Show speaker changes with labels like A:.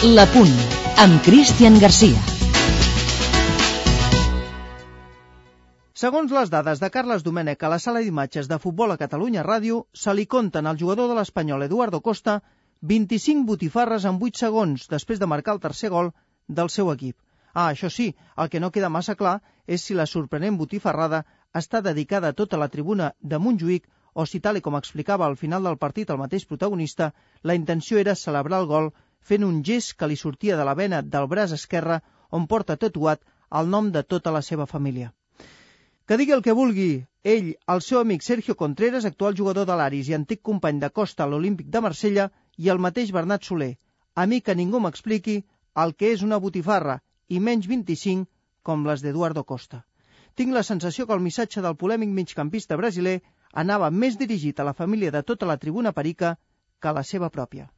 A: La Punt, amb Cristian Garcia.
B: Segons les dades de Carles Domènech a la sala d'imatges de Futbol a Catalunya Ràdio, se li compten al jugador de l'Espanyol Eduardo Costa 25 botifarres en 8 segons després de marcar el tercer gol del seu equip. Això sí, el que no queda massa clar és si la sorprenent botifarrada està dedicada a tota la tribuna de Montjuïc o si, tal com explicava al final del partit el mateix protagonista, la intenció era celebrar el gol fent un gest que li sortia de la vena del braç esquerre on porta tatuat el nom de tota la seva família. Que digui el que vulgui, ell, el seu amic Sergio Contreras, actual jugador de l'Aris i antic company de Costa a l'Olímpic de Marsella, i el mateix Bernat Soler. A mi que ningú m'expliqui el que és una botifarra, i menys 25 com les d'Eduardo Costa. Tinc la sensació que el missatge del polèmic migcampista brasiler anava més dirigit a la família de tota la tribuna perica que a la seva pròpia.